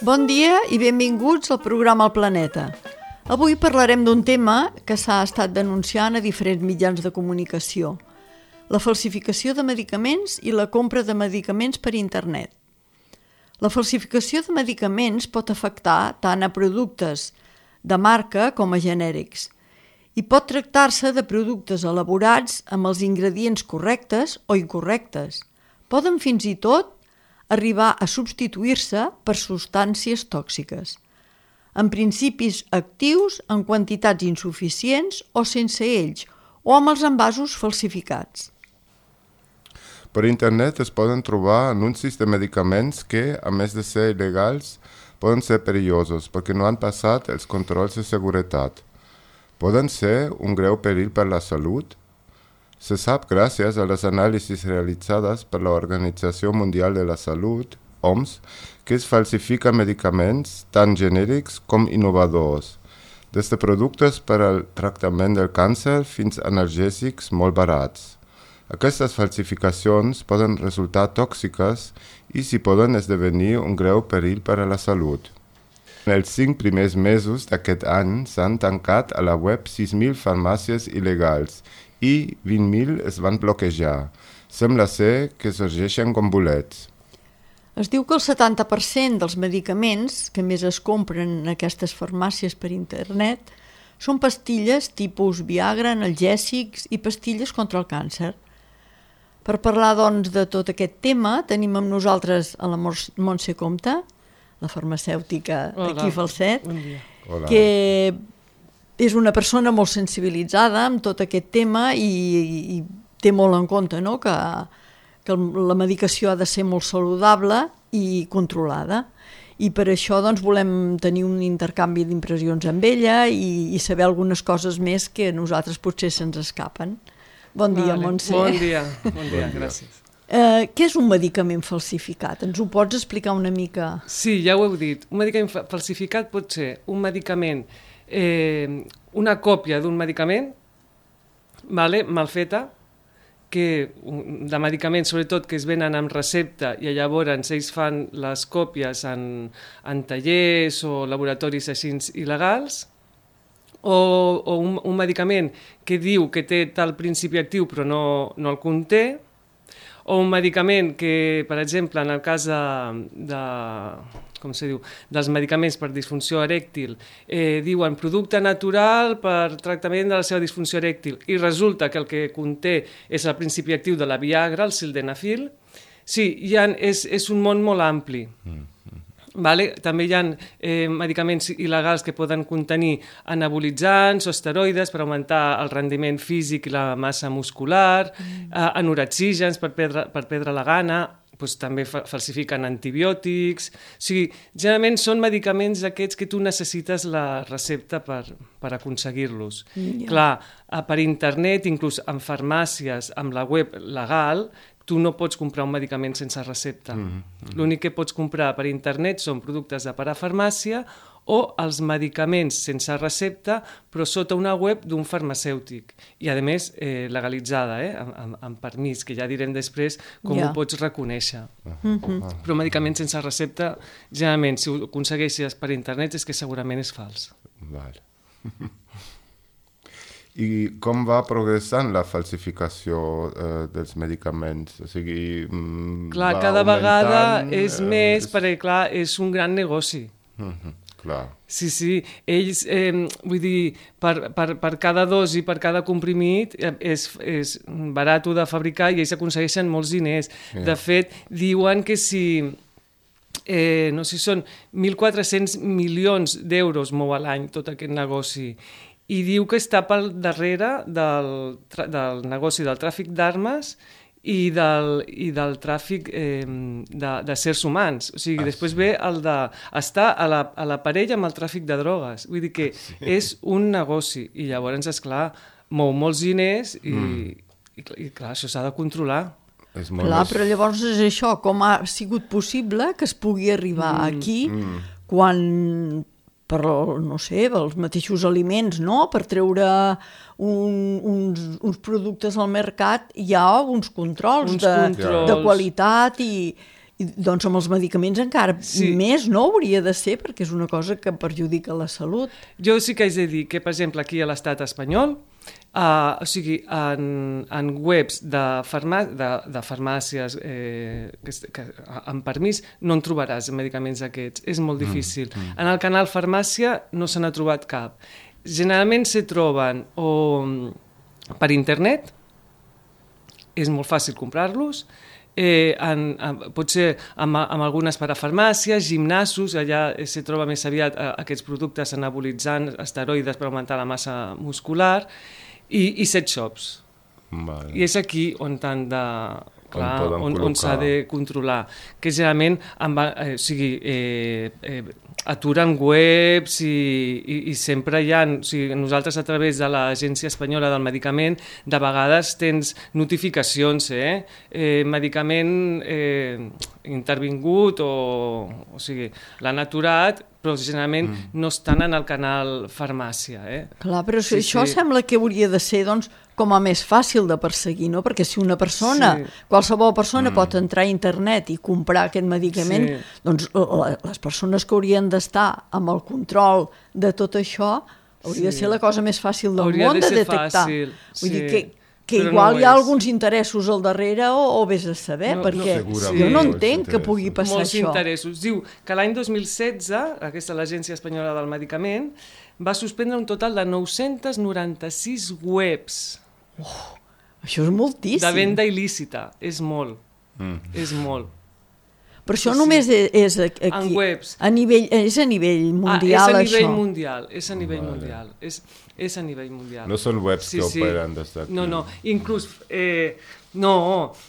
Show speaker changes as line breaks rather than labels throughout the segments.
Bon dia i benvinguts al programa El Planeta. Avui parlarem d'un tema que s'ha estat denunciant a diferents mitjans de comunicació: la falsificació de medicaments i la compra de medicaments per internet. La falsificació de medicaments pot afectar tant a productes de marca com a genèrics i pot tractar-se de productes elaborats amb els ingredients correctes o incorrectes. Poden fins i tot arribar a substituir-se per substàncies tòxiques, amb principis actius en quantitats insuficients o sense ells, o amb els envasos falsificats.
Per internet es poden trobar anuncis de medicaments que, a més de ser il·legals, poden ser perillosos perquè no han passat els controls de seguretat. Poden ser un greu perill per la salut. Se sap gràcies a les anàlisis realitzades per l'Organització Mundial de la Salut, OMS, que es falsifiquen medicaments tant genèrics com innovadors, des de productes per al tractament del càncer fins a analgèsics molt barats. Aquestes falsificacions poden resultar tòxiques i s'hi poden esdevenir un greu perill per a la salut. En els 5 primers mesos d'aquest any s'han tancat a la web 6.000 farmàcies il·legals i 20.000 es van bloquejar. Sembla ser que sorgeixen com bolets.
Es diu que el 70% dels medicaments que més es compren en aquestes farmàcies per internet són pastilles tipus Viagra, analgèsics i pastilles contra el càncer. Per parlar, doncs, de tot aquest tema, tenim amb nosaltres a la Montse Comte, la farmacèutica d'aquí Falset, que és una persona molt sensibilitzada amb tot aquest tema i té molt en compte, no?, que la medicació ha de ser molt saludable i controlada. I per això doncs, volem tenir un intercanvi d'impressions amb ella i saber algunes coses més que a nosaltres potser se'ns escapen. Bon dia, Montse.
Bon dia, gràcies.
Què és un medicament falsificat? Ens ho pots explicar una mica?
Sí, ja ho heu dit. Un medicament falsificat pot ser un medicament, una còpia d'un medicament, mal feta, de medicaments sobretot que es venen amb recepta i llavors ells fan les còpies en tallers o laboratoris així il·legals, o un medicament que diu que té tal principi actiu però no el conté, o un medicament que, per exemple, en el cas dels medicaments per disfunció erèctil, diuen producte natural per tractament de la seva disfunció erèctil i resulta que el que conté és el principi actiu de la Viagra, el sildenafil. Sí, és un món molt ampli. També hi ha medicaments il·legals que poden contenir anabolitzants o esteroides per augmentar el rendiment físic i la massa muscular, anorexígens per perdre la gana, també falsifiquen antibiòtics. O sigui, generalment són medicaments aquests que tu necessites la recepta per aconseguir-los. Clar, per internet, inclús en farmàcies, amb la web legal, tu no pots comprar un medicament sense recepta. L'únic que pots comprar per internet són productes de parafarmàcia o els medicaments sense recepta, però sota una web d'un farmacèutic. I, a més, legalitzada, amb permís, que ja direm després com ho pots reconèixer. Però medicaments sense recepta, generalment, si ho aconsegueixes per internet, és que segurament és fals.
Val. I com va progressant la falsificació dels medicaments? O sigui,
clar, cada vegada és més, perquè clar, és un gran negoci.
Clar.
Sí, ells, vull dir, per cada dosi, per cada comprimit, és barat de fabricar i ells aconsegueixen molts diners. De fet, diuen que si... no sé si són 1.400 milions d'euros mou a l'any tot aquest negoci. I diu que està pel darrere del negoci del tràfic d'armes i del tràfic de sers humans. O sigui, després ve el d'estar a la parella amb el tràfic de drogues. Vull dir que és un negoci i llavors, esclar, mou molts diners i clar, això s'ha de controlar.
Clar, però llavors és això, com ha sigut possible que es pugui arribar aquí quan... per, no sé, els mateixos aliments, no? Per treure uns productes al mercat hi ha uns controls de qualitat i I, doncs amb els medicaments encara més no hauria de ser, perquè és una cosa que perjudica la salut.
Jo sí que haig de dir que, per exemple, aquí a l'estat espanyol, o sigui, en webs de farmàcies que amb permís no en trobaràs medicaments aquests, és molt difícil. En el canal Farmàcia no se n'ha trobat cap. Generalment se troben o per internet, és molt fàcil comprar-los, potser amb algunes parafarmàcies, gimnasos, allà se troba més aviat aquests productes anabolitzants, esteroides per augmentar la massa muscular, i sex shops. Vale. I és aquí on t'han de... Clar, on s'ha de controlar, que generalment aturen webs i sempre hi ha... O sigui, nosaltres a través de l'Agència Espanyola del Medicament de vegades tens notificacions, medicament intervingut o sigui, l'han aturat, però generalment no estan en el canal farmàcia.
Clar, però això sembla que hauria de ser, doncs, com a més fàcil de perseguir, no? Perquè si una persona, qualsevol persona pot entrar a internet i comprar aquest medicament, doncs les persones que haurien d'estar amb el control de tot això hauria de ser la cosa més fàcil del món de detectar. Vull dir que igual hi ha alguns interessos al darrere o vés a saber, perquè jo no entenc que pugui passar això.
Molts interessos. Diu que l'any 2016, l'Agència Espanyola del Medicament, va suspendre un total de 996 webs.
Això és moltíssim.
De venda il·lícita. És molt. És molt.
Però això només és aquí,
en webs.
És a nivell mundial,
això? És a nivell mundial. És a nivell mundial.
No són webs que operen des d'aquí.
No, inclús... No,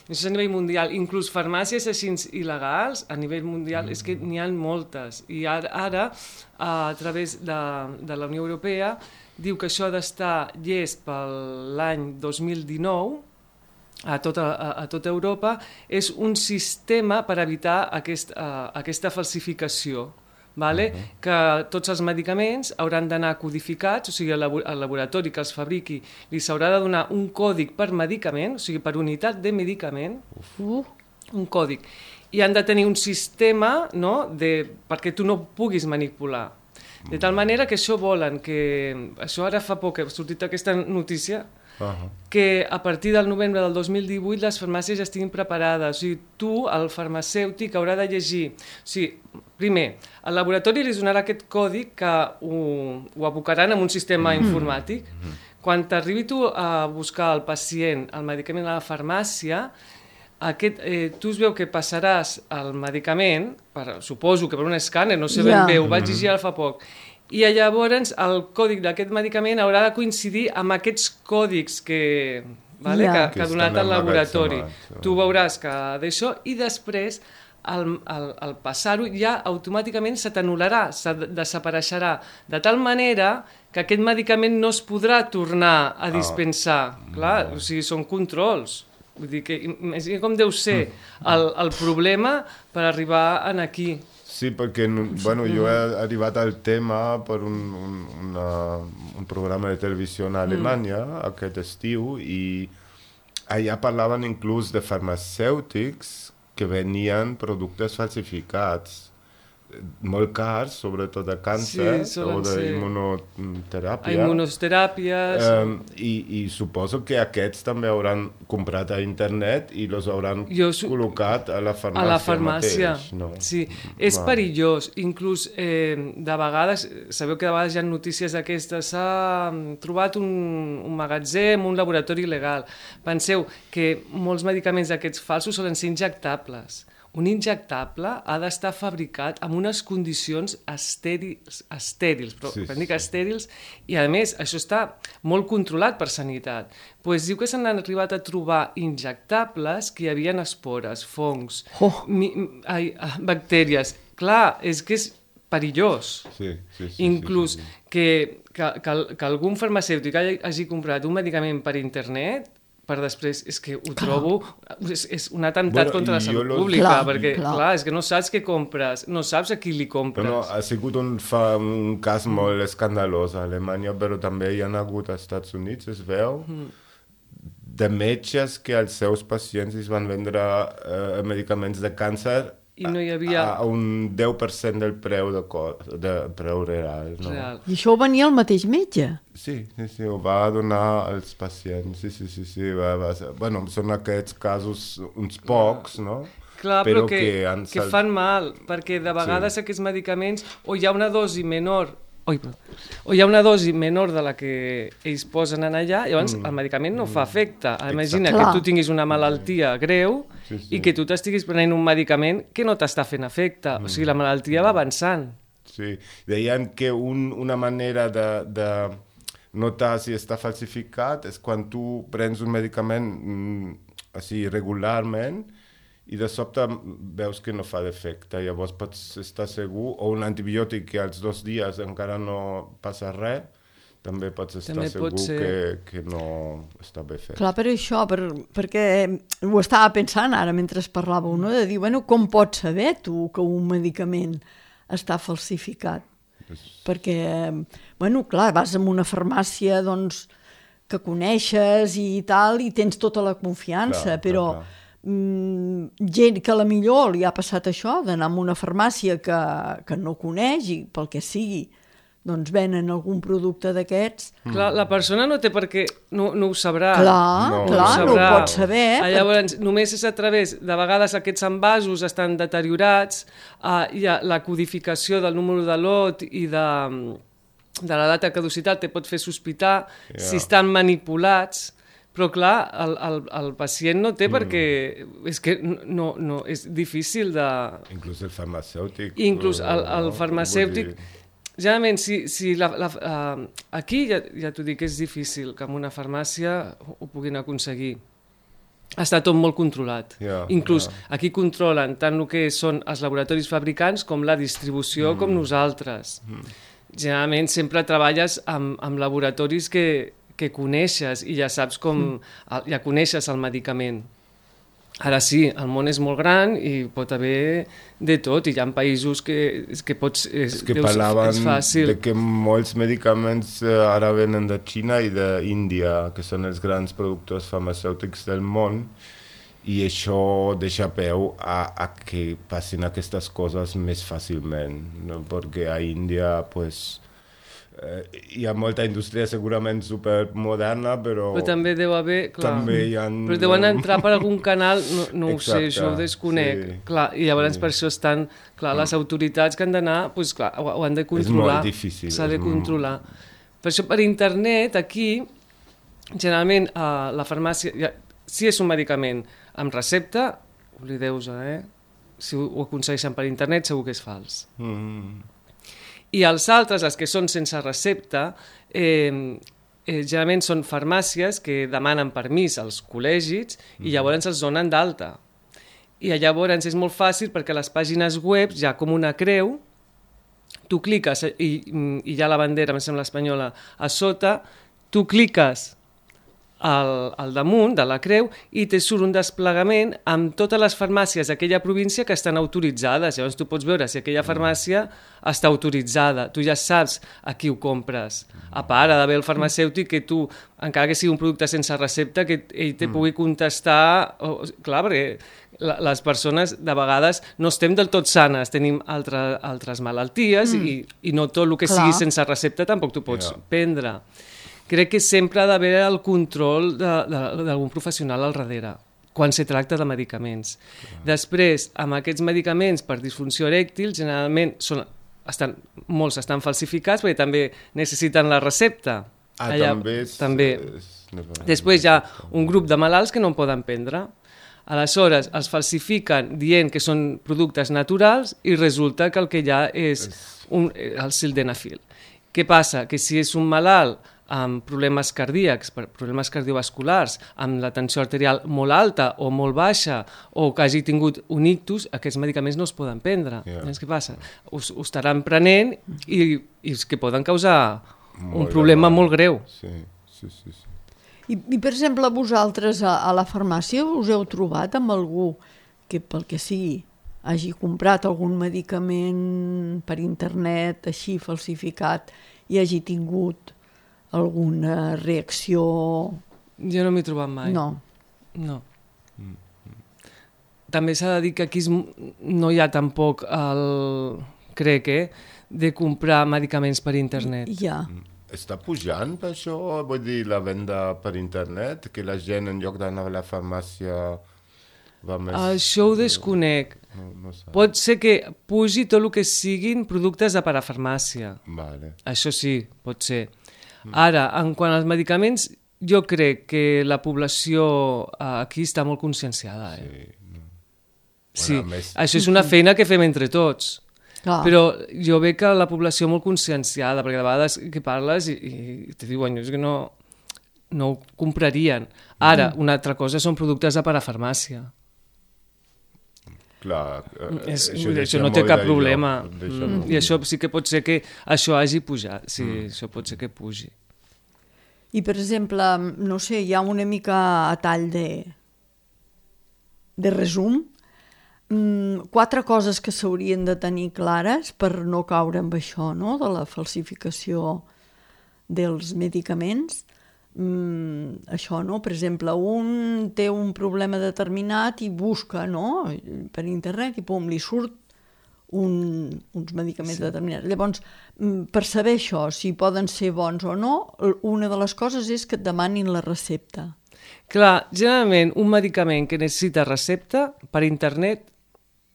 és a nivell mundial. Inclús farmàcies així il·legals, a nivell mundial, és que n'hi ha moltes. I ara a través de la Unió Europea, diu que això ha d'estar llest per l'any 2019, a tota Europa, és un sistema per evitar aquesta falsificació. Que tots els medicaments hauran d'anar codificats, o sigui, al laboratori que els fabriqui li s'haurà de donar un còdig per medicament, o sigui, per unitat de medicament, un còdig. I han de tenir un sistema perquè tu no puguis manipular. De tal manera que això volen, això ara fa poc que ha sortit aquesta notícia, que a partir del novembre del 2018 les farmàcies ja estiguin preparades. O sigui, tu, el farmacèutic, haurà de llegir. O sigui, primer, el laboratori li donarà aquest codi que ho abocaran en un sistema informàtic. Quan t'arribi tu a buscar el pacient el medicament a la farmàcia, tu es veu que passaràs el medicament, suposo que per un escàner, no sé ben bé, ho vaig llegir ara fa poc, i llavors el còdig d'aquest medicament haurà de coincidir amb aquests còdics que ha donat el laboratori. Tu veuràs que d'això, i després al passar-ho ja automàticament se t'anul·larà, se desapareixerà, de tal manera que aquest medicament no es podrà tornar a dispensar. Clar, o sigui, són controls. Vull dir que imagina com deu ser el problema per arribar aquí.
Sí, perquè jo he arribat al tema per un programa de televisió a Alemanya aquest estiu, i allà parlaven inclús de farmacèutics que venien productes falsificats, molt cars, sobretot de càncer o d'immunoteràpia.
Immunoteràpies.
I suposo que aquests també hauran comprat a internet i els hauran col·locat a la farmàcia mateix. No?
Sí, és perillós. Inclús, de vegades, sabeu que de vegades hi ha notícies d'aquestes, s'ha trobat un magatzem, un laboratori il·legal. Penseu que molts medicaments d'aquests falsos solen ser injectables. Un injectable ha d'estar fabricat amb unes condicions estèrils, però dic estèrils, i a més això està molt controlat per sanitat. Doncs diu que s'han arribat a trobar injectables que hi havia espores, fongs, bactèries. Clar, és que és perillós. Inclús que algun farmacèutic hagi comprat un medicament per internet, per després, és que ho trobo, és un atemptat contra la salut pública, perquè, clar, és que no saps què compres, no saps a qui li compres.
Ha sigut un cas molt escandalós a Alemanya, però també hi ha hagut als Estats Units, es veu, de metges que als seus pacients es van vendre medicaments de càncer
i no hi havia...
A un 10% del preu de preu real. No?
Real.
I això ho venia el mateix metge?
Sí, ho va donar als pacients. Sí. Bueno, són aquests casos uns pocs, no?
Clar, però que fan mal, perquè de vegades aquests medicaments o hi ha una dosi menor o hi ha una dosi menor de la que ells posen en allà, llavors el medicament no fa efecte. Imagina que tu tinguis una malaltia greu i que tu t'estiguis prenent un medicament que no t'està fent efecte. O sigui, la malaltia va avançant.
Sí, deien que una manera de notar si està falsificat és quan tu prens un medicament així regularment i de sobte veus que no fa d'efecte, llavors pots estar segur, o un antibiòtic que als 2 dies encara no passa res, també pots estar segur que no està bé fet.
Clar, per això, perquè ho estava pensant ara mentre parlàveu, no? De dir, bueno, com pots saber tu que un medicament està falsificat? Perquè, bueno, clar, vas a una farmàcia, doncs, que coneixes i tal, i tens tota la confiança, però... gent que a la millor li ha passat això d'anar a una farmàcia que no coneix i pel que sigui doncs venen algun producte d'aquests.
Clar, la persona no té per què, no ho sabrà.
Clar, no ho pot saber.
Llavors, només és a través, de vegades aquests envasos estan deteriorats, hi ha la codificació del número de lot i de la data de caducitat te pot fer sospitar si estan manipulats. Però clar, el pacient no té perquè... És que no, és difícil de...
Inclús el farmacèutic.
Inclús el farmacèutic... Generalment, aquí ja t'ho dic, és difícil que en una farmàcia ho puguin aconseguir. Està tot molt controlat. Inclús aquí controlen tant el que són els laboratoris fabricants com la distribució com nosaltres. Generalment sempre treballes amb laboratoris que coneixes i ja saps ja coneixes el medicament. Ara sí, el món és molt gran i pot haver de tot, i hi ha països que pots...
És que parlaven de que molts medicaments ara venen de Xina i d'Índia, que són els grans productors farmacèutics del món, i això deixa peu a que passin aquestes coses més fàcilment, no? Perquè a Índia, pues... hi ha molta indústria segurament supermoderna, però
també deu haver, clar, però deuen entrar per algun canal, no ho sé, això ho desconec, clar, i llavors per això estan, clar, les autoritats que han d'anar, doncs clar, ho han de controlar,
és molt difícil,
s'ha de controlar. Per això per internet, aquí, generalment la farmàcia, si és un medicament amb recepta, oblideu-vos, si ho aconsegueixen per internet segur que és fals. I els altres, els que són sense recepta, generalment són farmàcies que demanen permís als col·legis i llavors els donen d'alta. I llavors és molt fàcil perquè a les pàgines web hi ha com una creu, tu cliques i hi ha la bandera, em sembla espanyola, a sota, tu cliques al damunt de la creu i te surt un desplegament amb totes les farmàcies d'aquella província que estan autoritzades. Llavors tu pots veure si aquella farmàcia està autoritzada. Tu ja saps a qui ho compres. A part, ha d'haver el farmacèutic que tu, encara que sigui un producte sense recepta, que ell te pugui contestar... Clar, perquè les persones de vegades no estem del tot sanes, tenim altres malalties i no tot el que sigui sense recepta tampoc tu pots prendre. Crec que sempre ha d'haver el control d'algun professional al darrere, quan se tracta de medicaments. Després, amb aquests medicaments per disfunció erèctil, generalment molts estan falsificats perquè també necessiten la recepta. També. Després hi ha un grup de malalts que no en poden prendre. Aleshores, els falsifiquen dient que són productes naturals i resulta que el que hi ha és el sildenafil. Què passa? Que si és un malalt amb problemes cardíacs, problemes cardiovasculars, amb la tensió arterial molt alta o molt baixa, o que hagi tingut un ictus, aquests medicaments no es poden prendre. Què passa? Ho estaran prenent i és que poden causar un problema molt greu.
Sí.
I per exemple, vosaltres a la farmàcia us heu trobat amb algú que, pel que sigui, hagi comprat algun medicament per internet, així falsificat, i hagi tingut alguna reacció...
Jo no m'he trobat mai.
No.
també s'ha de dir que aquí no hi ha tampoc crec, de comprar medicaments per internet.
Ja.
Està pujant per això? Vull dir, la venda per internet? Que la gent, en lloc d'anar a la farmàcia, va més...
Això ho desconec.
No sé.
Pot ser que pugi tot el que siguin productes de parafarmàcia.
Vale.
Això sí, pot ser. Ara, en quant als medicaments, jo crec que la població aquí està molt conscienciada. Sí,
Bueno, més...
això és una feina que fem entre tots.
Clar.
Però jo veig que la població molt conscienciada, perquè de vegades que parles i te diuen, és que no ho comprarien. Ara, una altra cosa són productes de parafarmàcia.
Clar,
això no té cap problema. I això sí que pot ser que això hagi pujat. Sí, això pot ser que pugi.
I, per exemple, no sé, hi ha una mica a tall de resum. 4 coses que s'haurien de tenir clares per no caure amb això, no?, de la falsificació dels medicaments. Això, no? Per exemple, un té un problema determinat i busca, no?, per internet i pum, li surt uns medicaments determinats. Llavors, per saber això, si poden ser bons o no, una de les coses és que et demanin la recepta.
Clar, generalment un medicament que necessita recepta per internet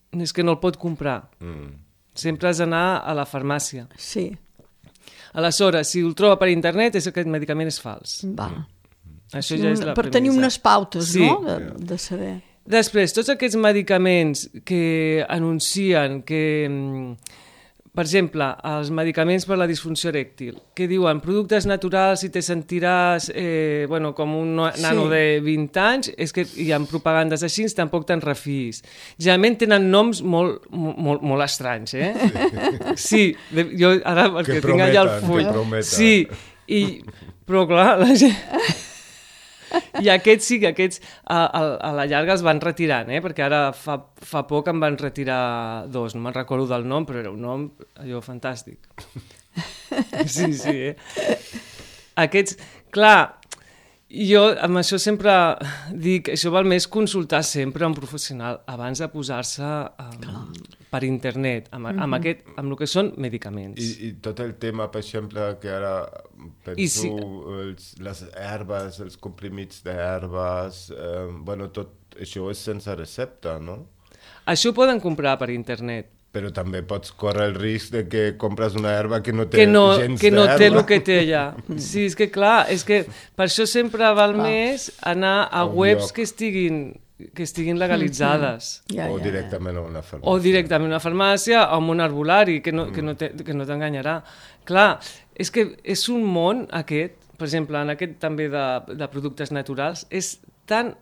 és que no el pot comprar. Sempre has d'anar a la farmàcia.
Sí.
Aleshores, si el troba per internet és que aquest medicament és fals.
Va.
Això ja és la
per tenir unes pautes,
sí,
no?, de saber.
Després, tots aquests medicaments que anuncien que, per exemple, els medicaments per la disfunció erèctil, que diuen productes naturals i te sentiràs com un nano de 20 anys, és que hi ha propagandes així, tampoc te'n refiïs. Generalment tenen noms molt estranys, Sí, jo ara, perquè tinc allà el full. Sí, però clar, la gent... I aquests sí, aquests a la llarga els van retirant, perquè ara fa poc en van retirar 2, no me'n recordo del nom, però era un nom allò fantàstic. Sí. Aquests, clar, jo amb això sempre dic, això val més consultar sempre un professional abans de posar-se per internet, amb el que són medicaments.
I tot el tema, per exemple, que ara penso, les herbes, els comprimits d'herbes, tot això és sense recepta, no?
Això ho poden comprar per internet.
Però també pots córrer el risc de que compres una herba que no té gens d'herba.
Que no té el que té allà. Sí, és que clar, per això sempre val més anar a webs que estiguin legalitzades.
O directament a una farmàcia.
O directament a una farmàcia o a un herbolari, que no t'enganyarà. Clar, és que és un món aquest, per exemple, en aquest també de productes naturals, és tan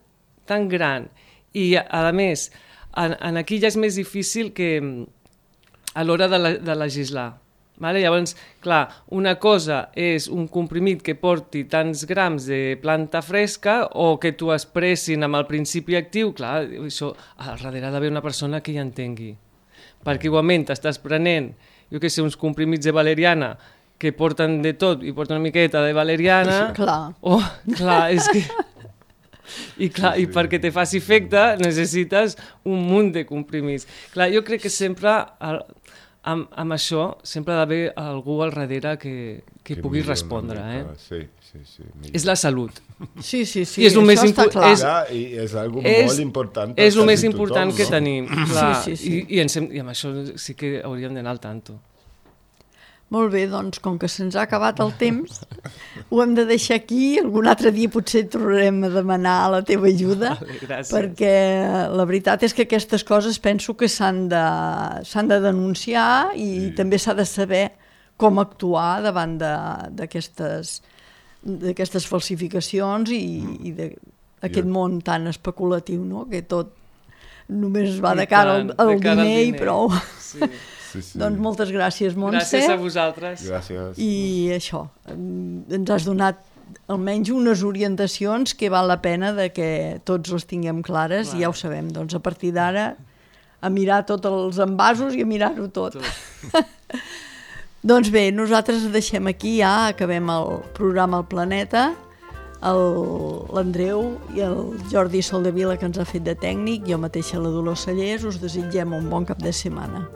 gran i, a més, aquí ja és més difícil que a l'hora de legislar. Vale? Llavors, clar, una cosa és un comprimit que porti tants grams de planta fresca o que t'ho expressin amb el principi actiu, clar, això al darrere ha d'haver una persona que hi entengui. Perquè igualment t'estàs prenent, jo què sé, uns comprimits de valeriana que porten de tot i porten una miqueta de valeriana...
Clar.
Clar, és que... I perquè te faci efecte necessites un munt de comprimits. Clar, jo crec que sempre amb això sempre ha d'haver algú al darrere que pugui respondre.
Sí.
És la salut.
Sí,
I és el més
està clar.
I és algo molt important.
És el més important que tenim. Clar,
sí.
I amb això sí que hauríem d'anar al tanto.
Molt bé, doncs, com que se'ns ha acabat el temps, ho hem de deixar aquí. Algun altre dia potser tornarem a demanar la teva ajuda, perquè la veritat és que aquestes coses penso que s'han de denunciar i també s'ha de saber com actuar davant d'aquestes falsificacions i d'aquest món tan especulatiu, no?, que tot només va de cara al diner i prou.
Sí.
Doncs moltes gràcies, Montse.
Gràcies a vosaltres.
Gràcies.
I això, ens has donat almenys unes orientacions que val la pena de que tots les tinguem clares. I ja ho sabem, doncs a partir d'ara a mirar tots els envasos i a mirar-ho tot. Doncs bé, nosaltres deixem aquí, ja acabem el programa El Planeta. l'Andreu i el Jordi Soldevila, que ens ha fet de tècnic, jo mateixa la Dolors Cellers, us desitgem un bon cap de setmana.